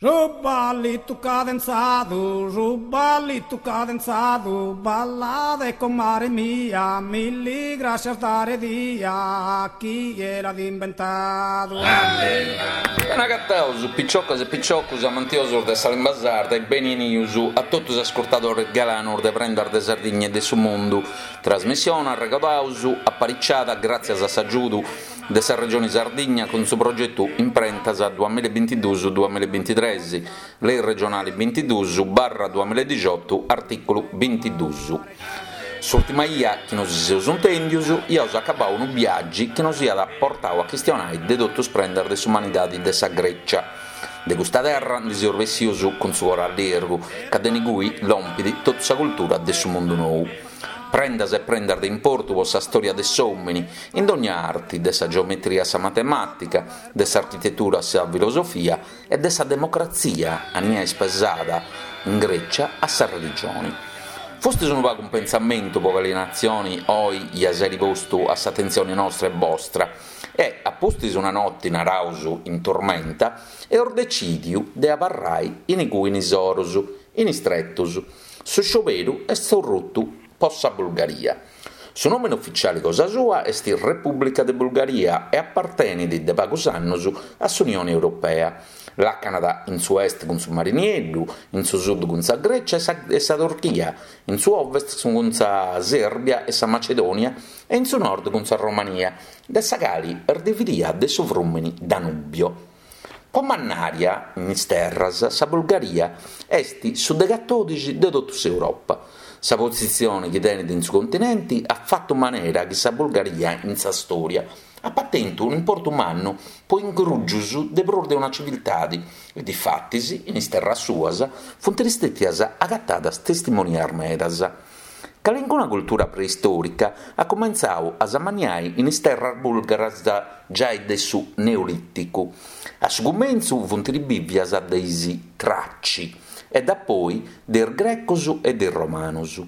Su ballitu cadenzadu, su ballitu cadenzadu, ballade comare mia, milli grascias dare dia, chie l'at imbentadu. Beni agataus, piciocas e piciocus amantiosus de sa limba sarda e beni 'enius a totu is ascurtadores galanus de Prendas de Sardigna e de su Mundu. Trasmissione, arregodaus, apariciada gràtzias a s'agiudu de sa Regioni Sardigna cun su progetu Imprentas duamillabintiduus duamillabintitres, Lei regionali bintiduus barra duamilladixotu artìculu bintiduus. S'ùrtima 'ia chi nosi seus intèndius iaus acabau unu biàgiu chi nos iat portau a chistionai de totu is prendas de s'umanidadi de sa Grècia. De custa terra ndi seus bessius cun su coru allirgu, ca de inigui lompit totu sa cultura de su mundu nou. Prendas e prendas de importu po sa stòria de s'òmini, in dònnia arti, de sa geometria a sa matemàtica, de s'architetura a sa filosofia e de sa democratzia, ania est pesada in Grècia, a sa religioni. Fustis unu pagu in pentzamentu po cali natzioni oi iaus àiri postu a s'atentzioni nostra e bostra e, a pustis una noti, naraus, in turmenta, eus decìdiu de abarrai inigui in is orus, in is tretus, Su scioberu est orrutu po sa Bulgaria. Su nòmene ufitziali cosa sua est Repùblica de Bulgaria e apartenit de pagus annus a s'Unioni Europea. Làcanat in su est cun su Mari Nieddu, in su sud cun sa Grècia e sa Turchia, in su ovest cun sa Sèrbia e sa Macedònia e in su nord cun sa Romania, de sa cali est dividia de su frùmini Danubio. Po mannària in is terras sa Bulgaria est su de catòdixi de totu s'Europa. Sa positzione chi tenet in su continenti at fatu manera chi sa Bulgaria in sa stòria apat tentu un'importu mannu po ingrùgius de prus de una civiltadi e difatis in is terras suas funt stètias agatadas testimonias medas. Calincuna cultura preistòrica at cumentzau a s'amanniai in is terras bùlgaras giai de su Neolìticu. A su cumentzu funt bìvias de is Traci e dapoi de is Grecos e de is Romanos.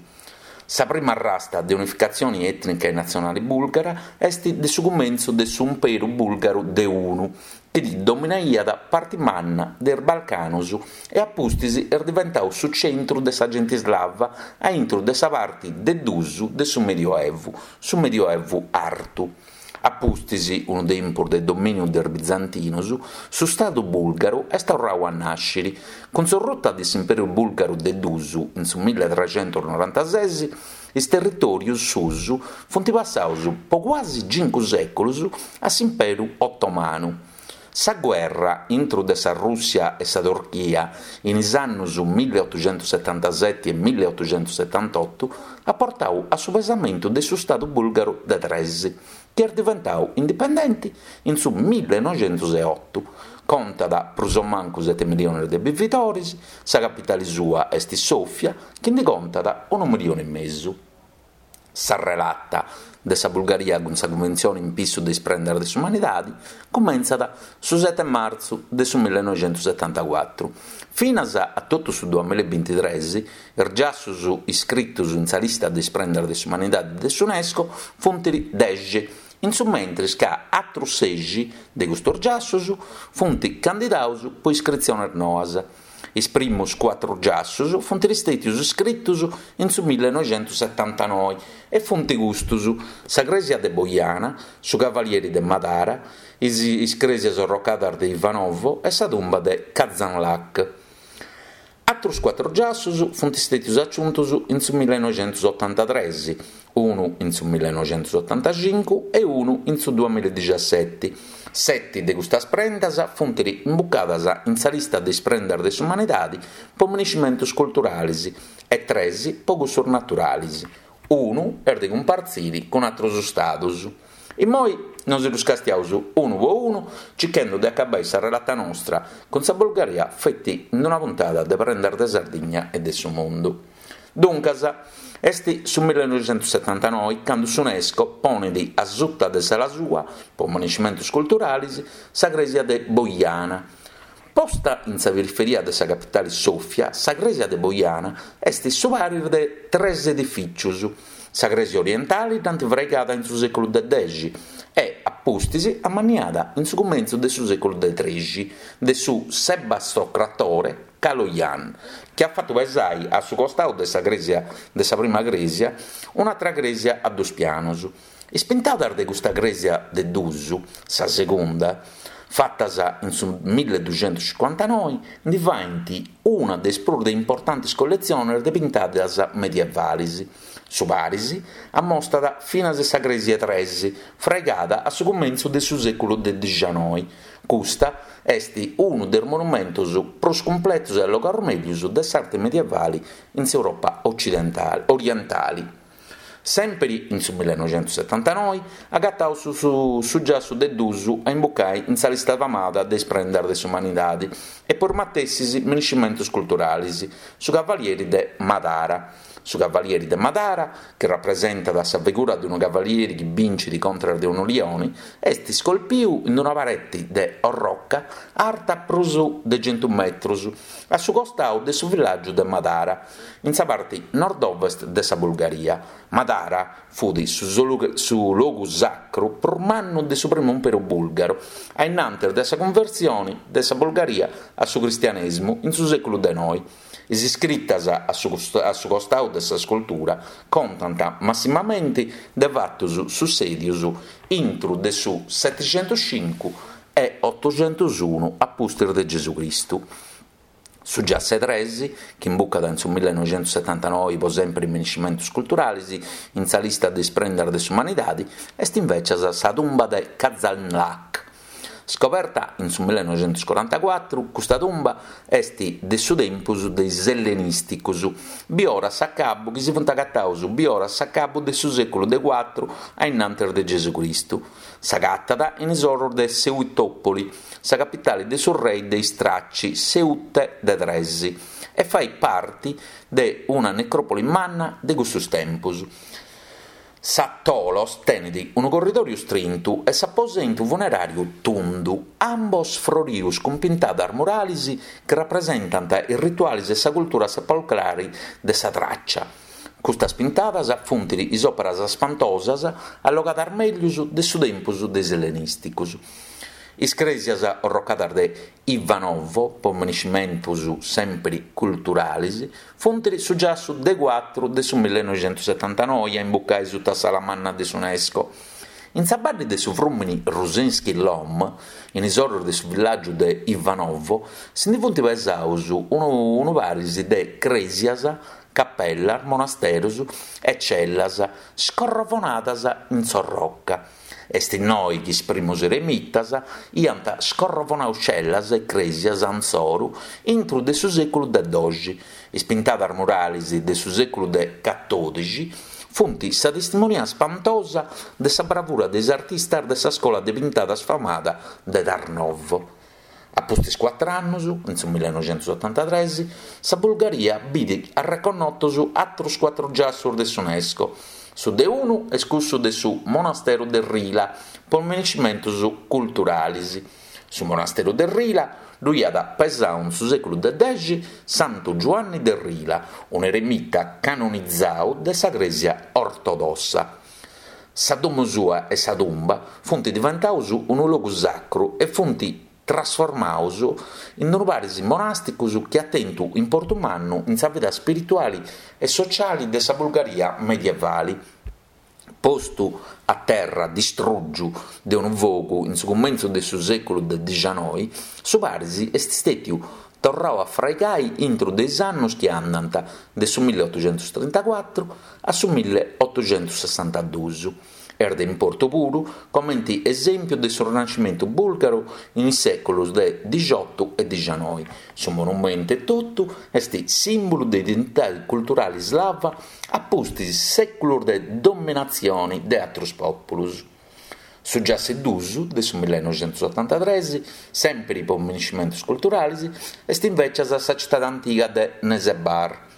Sa prima arrasta de unificatzioni ètnica e natzionali bùlgara est de su cumentzu de su Imperu Bùlgaru de Unu, chi dominaiat parti manna de is Balcanus e a pustis est diventau su centru de sa genti slava a intru de sa parti de dus de su Medioevu, su Medioevu Artu. A pustis unu tempus de domìniu de is bizantinus, su stadu bùlgaru est torrau a nàsciri. Cun s'orruta de s'Imperu Bùlgaru de dus in su milletrecentusnorantases, Is territòrius suus funt passaus po cuasi cincu sèculus a s'Imperu Otomanu. Sa guerra intru de sa Rùssia e sa Turchia in is annus milleotuxentussetantaseti e milleotuxentussetantotu at portau a su pesamentu de su Stadu Bùlgaru de tres, chi est diventau indipendenti in su millenoxentuseotu. Contat prus o mancu sete miliones de bividoris, sa capitali sua est Sòfia, chi ndi contat unu milioni e mesu. Sa relata de sa Bulgaria cun sa Cunventzione in pissu de is prendas de s'umanidadi cumentzat su sete martzu de su millenoxentusetantacuatru. Finas a totu su duamillabintitres is giassus iscritus in sa lista de is prendas de s'umanidadi de s'Unesco funt dexi, in su mentris ca atrus sexi de custus giassus funt candidaus po iscritziones noas. Is primus cuatru giassus funt stètius iscritus in su millenoixentussetantanoi e funt custus, sa crèsia de Boiana, su Cavalieri de Madara, is is crèsias orrocadas de Ivanovo e sa tumba de Kazanlak. Atrus cuatru giassus funt stètius aciuntus in su millenoixentusotantatres, unu in su millenoixentusotantacincu e unu in su duamilladixaseti. Seti de custas prendas funt imbucadas in sa lista de is prendas de s'umanidadi po miniscimentus culturalis e tres po cussus naturalis. Unu est de cumpartziri cun atrus stadus. Immoi nosi ddus castiaus unu po unu circhendu de acabai sa relata nostra cun sa Bulgaria feti in una puntada de Prendas de Sardigna e de su Mundu. Duncas, est su millenoixentussetantanoi candu s'Unesco ponit a suta de s'ala sua, po miniscimentus culturalis, sa crèsia de Boiana. Posta in sa periferia de sa capitali Sòfia, sa crèsia de Boiana est su paris de tres edifìcius. Sa crèsia orientali dd'ant fraigada in su sèculu de dexi. e, a pustis, amanniada in su cumentzu de su sèculu de trexi de su sebastocratore Kaloyan, chi at fatu pesai a su costau de sa crèsia de sa prima crèsia un'atra crèsia a dus pianus. Is pintadas de custa crèsia de dus, sa segunda, fatas in su milleduxentuscincuantanoi, ndi faint una de is prus de importantis colletziones de pintadas medievalis. Su paris ammostat finas sa crèsia 'e tres, fraigada a su cumentzu de su sèculu de dixanoi. Custa est unu de is monumentos prus cumpletos e allogados mègius de s'arte medievale in s'Europa ocidentale orientale. Sèmpiri in su millenoixentussetantanoi agataus su su giassu de dus a imbucai in sa lista famada de is prendas de s'umanidadi e po is matessis miniscimentus culturalis, su Cavalieri de Madara. Su Cavalieri de Madara, chi rapresentat sa figura de unu cavalieri chi bincit contras de unu lioni, est scolpiu in una pareti de orroca arta prus de centu metrus, a su costau de su villàgiu de Madara, in sa parti nord-ovest de sa Bulgaria. Madara fut su logu sacru prus mannu de su primu imperu bùlgaru, a innantis de sa cunversioni de sa Bulgaria a su cristianèsimu in su sèculu de noi. Is iscritas a su costau de sa scultura contant massimamenti de fatus sussèdius intru de su setixentuscincu e otoxentusunu a pustis de Gesù Cristu. Su giassu 'e tres, chi imbucat in su millenoixentussetantanoi po sèmpiri miniscimentus culturalis in sa lista de is prendas de s'umanidadi, est invècias sa tumba de Kazanlak. Scoberta in su millenoixentuscorantacuatru, custa tumba est de su tempus de is ellenìsticus, biora s'acabu chi si funt agataus biora s'acabu de su sèculu de cuatru a innantis de Gesù Cristu. S'agatat in is orus de Seutòpoli, sa capitali de su rei de is Traci, Seute de Tres, e fait parti de una necròpoli manna de cussus tempus. Sa Tholos tenet unu corridòriu strintu e s'aposentu funeràriu tundu, ambos frorius cun pintadas murales chi rapresentant is rituales e sa cultura sepolcrale de sa Tràcia. Custas pintadas funt is òperas spantosas allogadas mègius de su tempus de is ellenìsticos. Is crèsias orrocadas de Ivanovo, po miniscimentus sèmpiri culturalis, funt su giassu de cuatru de su millenoixentussetantanoi a imbucai suta s'ala manna de s'Unesco. In sa baddi de su frùmini Rusinski Lom, in is orus de su villàgiu de Ivanovo, si ndi funt pesaus unu paris de crèsias, capellas, monasterus e cellas scorrovonadas in s'orroca. Est innoi chi is primus eremitas iant scorrovonau cellas e crèsias insoru intru de su sèculu de doxi. Is pintadas muralis de su sèculu de catòdixi funt sa testimonia spantosa de sa bravura de is artistas de sa scola de pintadas famada de Tarnovo. A pustis cuatr'annus, in su millenoixentusotantatres, sa Bulgaria bit arreconnotos atrus cuatru giassus de s'Unesco. Su de unu est cussu de su monasteru de Rila, po miniscimentus culturalis. Su monasteru de Rila ddu iat pesau in su sèculu de dexi Santu Giuanni de Rila, un'eremita canonizau de sa Crèsia Ortodossa. Sa domu sua e sa tumba funt diventaus unu logu sacru e funt trasformaus in unu paris monàsticus chi at tentu importu mannu in sa vida spirituali e sociali de sa Bulgaria medievali. Postu a terra distrùgiu de unu fogu in su cumentzu de su sèculu de dixanoi, su paris est stètiu torrau a fraigai intru de is annus chi andant de su milliotoxentustrintacuatru a su milliotoxentusessantaduus. Est de importu puru comenti esèmpiu de su Rinascimentu bùlgaru in is sèculus de dixotu e dixanoi. Su monumentu etotu est sìmbulu de identidadi culturali slava a pustis sèculus de dominatzioni de atrus pòpulus. Su giassu 'e dus de su millenoixentusotantatres, sèmpiri po miniscimentus culturalis, est invècias sa citadi antiga de Nesebar.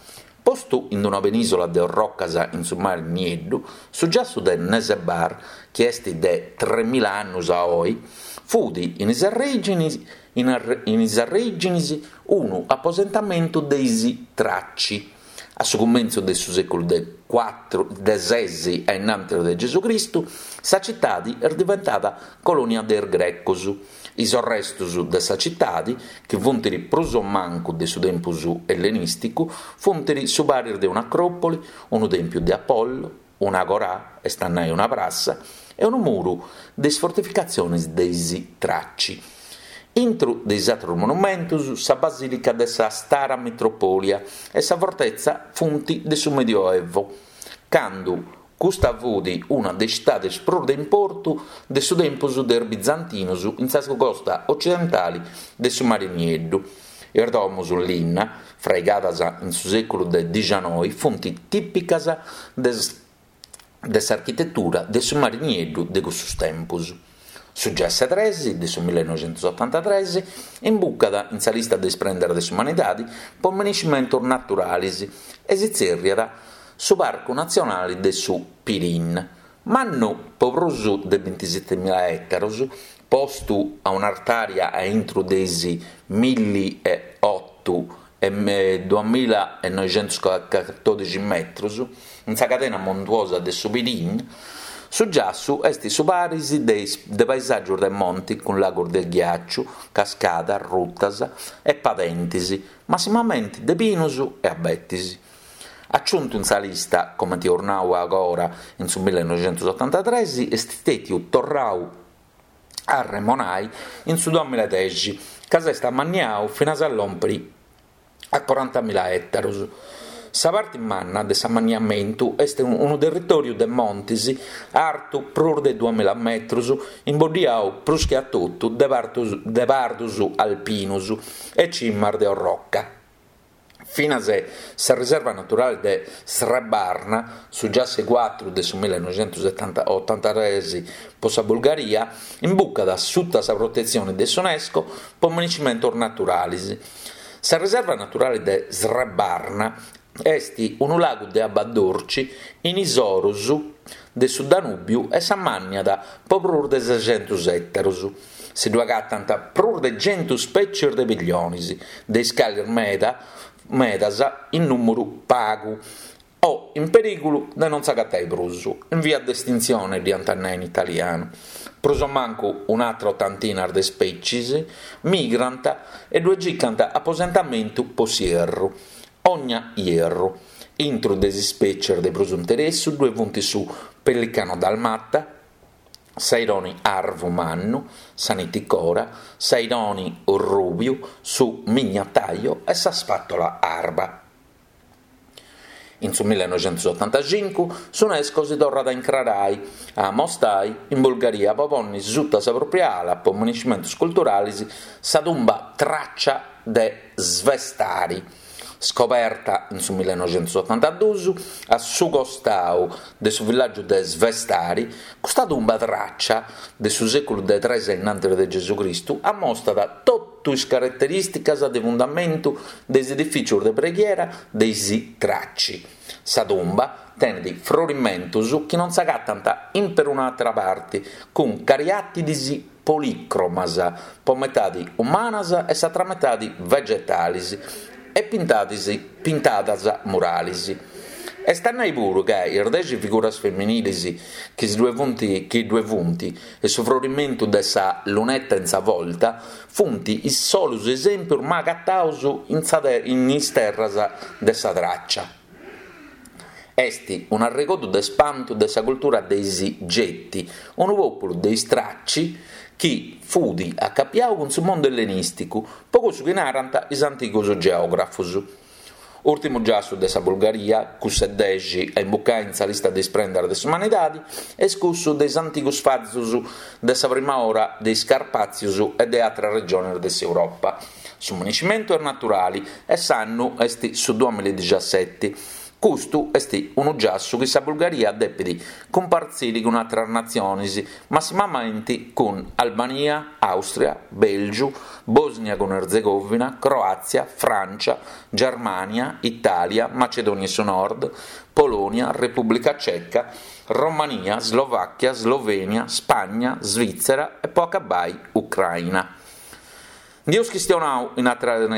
Postu in una penìsola de orrocas in su mari Nieddu, su giassu de Nesebar, chi est de tremila annus a oi, fut in is arrèginis in is arrèginis unu aposentamentu de is Traci. A su cumentzu de su sèculu de cuatru de ses a innantis de Gesù Cristu, sa citadi est diventada colònia de is Grecos. Is orrestus de sa citadi, chi funt prus o mancu de su tempus ellenìsticu, funt su paris de un'acròpoli, unu tèmpiu de Apollo, un'agorà, est a nai una prassa, e unu muru de is fortificatzionis de is Traci. Intru de is atrus monumentus, sa basìlica de sa Stara Mitropolia e sa fortetza funt de su Medioevo, candu custa fut una de is citadis prus de importu de su tempus de is bizantinus in sa costa ocidentali de su Mari Nieddu. Is domus in linna, fraigadas in su sèculu de dixianoi, funt tìpicas de s'architetura de su Mari Nieddu de cussus tempus. Su Giasse tres de su millenoixentusotantatres imbucat in sa lista de is prendas de s'umanidadi po minescimentus naturalis e si tzèrriat su Parcu Natzionali de su Pirin. Mannu po prus de bintisetemila ètaros, postu a un'artària a intru de is milli e otu e duamilla e noixentuscatòdixi metrus, in sa cadena montuosa de su Pirin, su giassu est su paris de de paesàgios de monti cun lagos de ghiàciu, cascadas, rutas e padentis, massimamenti de pinus e abetis. Aciuntu in sa lista, comenti eus nau agora, in su millenoixentusotantatres, est stètiu torrau a arremonai in su duamiladexi, ca s'est amanniau finas a lòmpiri a corantamila ètaros. Sa parti manna de s'amanniamentu est unu territòriu de montis artu prus de duamila metrus, imboddiau prus che a totu de de pardus alpinus e cimas de orroca. Finas sa riserva naturale de Srebarna, su giasse cuatru de su millenoixentuotantatres po sa Bulgaria, imbucat suta sa protetzione de s'Unesco po minescimentos naturales. Sa riserva naturale de Srebarna est unu lagu de abba durci in is orus de su Danùbiu e s'ammànniat po prus de sescentus ètaros. Si ddu agatant prus de centu spètzies de pillionis, de is calis meda medas in nùmeru pagu o in perìgulu de non s'agatai prus, in via de estintzione dd'iant a nai in italianu. Prus o mancu un'atra otantina de spètzies migrant e ddue circant aposentamentu po s'ierru, ogna ierru. Intru de is spètzies de prus interessu ddue funt su pellicano dalmata, s'aironi arvu mannu, sa nitticora, s'aironi orrùbiu, su mignataio e sa spatola arba. In su millenoixentusotantacincu s'Unesco si torrat a incrarai, a amostai, in Bulgaria po ponni suta sa pròpria ala po minescimentus culturalis sa tumba Tràcia de Svestari, Scoberta in su millenoixentusotantaduus a su costau de su villàgiu de Svestari, custa tumba tràcia de su sèculu de tres a innantis de Gesù Cristu ammostat totu is caraterìsticas de fundamentu de is edifìcios de preghiera de is Traci. Sa tumba tenet frorimentos chi non s'agatant in perun'àtera parti, cun cariàtidis polìcromas, po metadi umanas e s'atra metadi vegetalis e pintadis pintadas muralis. Est a nai puru ca is dexi figuras feminilis chi si ddue funt chi ddue funt e su frorimentu de sa lunetta in sa volta funt is solus esempius mai agataus in sa in is terras de sa Tràcia. Est un'arregodu de spantu de sa cultura de is Geti, unu pòpulu de is Traci chi fut acapiau cun su mundu ellenìsticu, po cussu chi narant is antigus geògrafus. Ùrtimu giassu de sa Bulgaria, cuss'e dexi a imbucai in sa lista de is prendas de s'umanidadi, est cussu de is antigus fazus de sa prima ora de is Carpàtzius e de àteras regiones de s'Europa. Su minescimentu est naturali e s'annu est su duamilladixaseti. Custu est unu giassu chi sa Bulgaria depit cumpartziri cun àteras natziones, massimamenti cun Albania, Àustria, Bèlgiu, Bòsnia cun Erzegovina, Croàtzia, Frància, Germània, Itàlia, Macedònia 'e su Nord, Polònia, Repùblica Ceca, Romania, Slovàchia, Slovènia, Spagna, Svìtzera e po acabbai Ucraina. Ndi eus chistionau in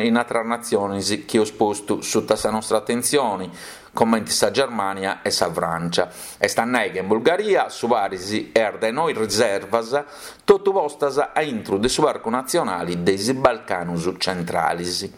in atras natzionis chi eus postu suta sa nostra atentzioni, comenti sa Germania e sa Francia. Est a nai ca in Bulgaria su paris est de noi riservas, totu postas a intru de su Parcu Natzionali de is Balcanus Centralis.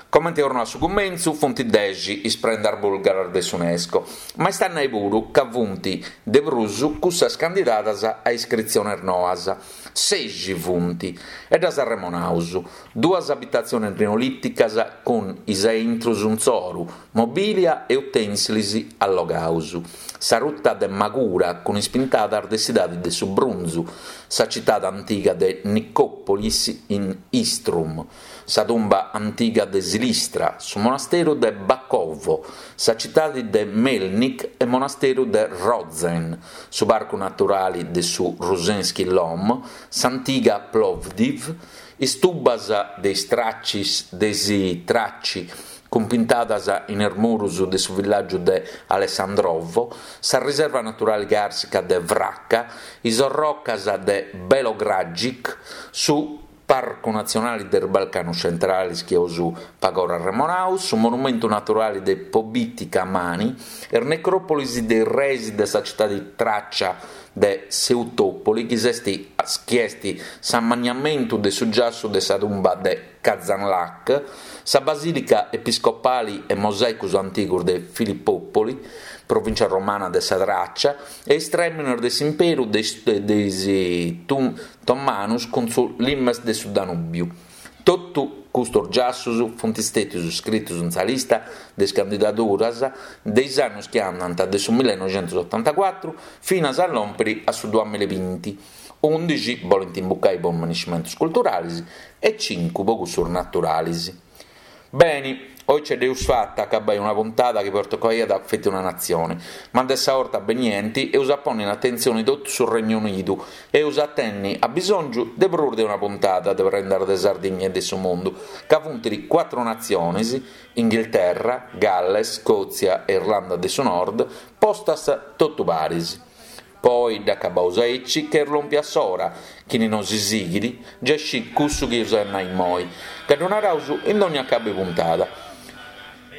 Comente eus nau a su cumentzu, funt dexi is prendas bulgaras de s'Unesco, ma est a nai puru ca funt de prus cussas candidadas a iscritziones noas. Sexi funt, e ddas arremonaus, duas abitatziones neolìticas cun is aintrus insoru, mobìlia e utènsilis allogaus, sa ruta de Magura cun is pintadas de s'idadi de su brunzu, sa citade antiga de Nicopolis in Istrum, sa tumba antiga de Silistra, su monasteru de Bakovo, sa citadi de Melnik e monasteru de Rozen, su parcu naturali de su Rusenski Lom, s'antiga Plovdiv, is tumbas de is Tracis de is Traci cun pintadas in is murus de su villàgiu de Alessandrovo, sa riserva naturali càrsica de Vracca, is orrocas de Belogradchik, su Parcu Natzionali de is Balcanus Centralis chi eus pagora arremonau, su Monumentu Naturali de Pobiti Kamani, is necròpolis de is reis de sa citadi Tràcia de Seutòpoli chi s'est chi est s'ammanniamentu de su giassu de sa tumba de Kazanlak, sa Basìlica Episcopali e mosàicus antigus de Filipòpoli, provìncia romana de sa Tràcia, e is trèminos de s'imperu de is Tomanus cun su limes de su Danùbiu. Totu custos giassus funt stètius scritus in sa lista de is candidaduras de is annus chi andant de su millenoixentusotantacuatru finas a lòmpiri a su duamillabinti, undixi bolint imbucai po maniscimentus culturalis e cincu po cussus naturalis. Beni, oi ce dd'eus fata a acabai una puntada chi pertocaiat feti una natzioni, ma de sa 'orta benienti eus a ponni in atentzioni totu su Regnu Unidu e eus a tenni abisòngiu de prus de una puntada de Prendas de Sardigna e de su Mundu, ca funt cuatru natzionis, Inghilterra, Galles, Scòtzia e Irlanda de su Nord, postas totu paris. Po oi dd'acabaus aici ca est lòmpia s'ora, chini nosi sighit giai scit cussu chi eus a nai immoi, ca ddu naraus in dònnia acabu 'e puntada.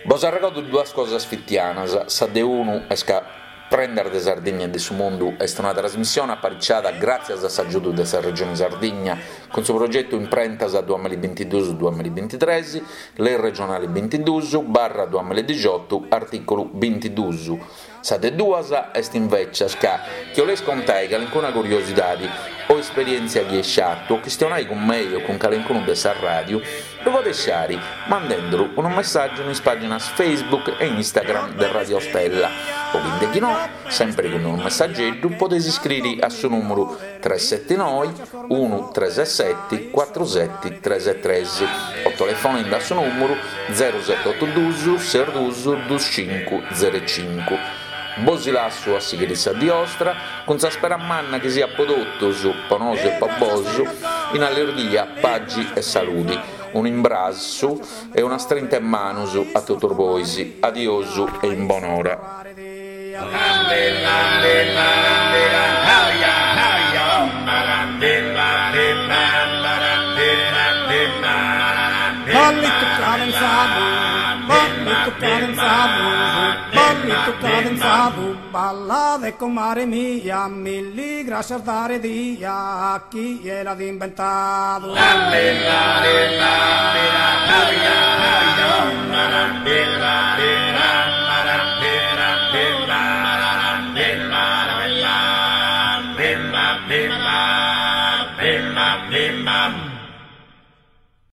Bos arregodu duas cosas fitianas, sa de unu est ca Prendas de Sardigna e de su Mundu est una trasmissione apariciada gràtzias a s'agiudu de sa Regione Sardigna cun su progetu Imprentas duamillabintiduus duamillabintitres, Lei regionali bintiduus barra duamilladixotu artìculu bintiduus. Sa de duas est invècias ca, chi 'oleis contai calincuna curiosidadi o esperièntzia chi eis fatu o chistionai cun mei o cun calincunu de sa ràdiu, ddu podeis fari mandenduru unu messàgiu in is pàginas Facebook e Instagram de Radio Stella o chi indechinò, sempri cun unu messageddu, podeis iscriri a su nùmuru tres seti noi unu tres seti cuatru seti tres tres o telefonendi a su nùmuru zeru seti otu dus ses dus dus cincu zeru cincu. Bosi lassu a sighiri sa dì 'ostra cun sa spera manna chi siat po totus, po nosu e po bosu, in allirghia, pagi e saludi. Unu imbrassu e una strinta 'e manus a totus bois. Adiosu e in bonora. Ballitu cadenzadu, ballitu cadenzadu, ballitu cadenzadu, ballade comare mia, milli grascias dare dia a chie l'at imbentadu.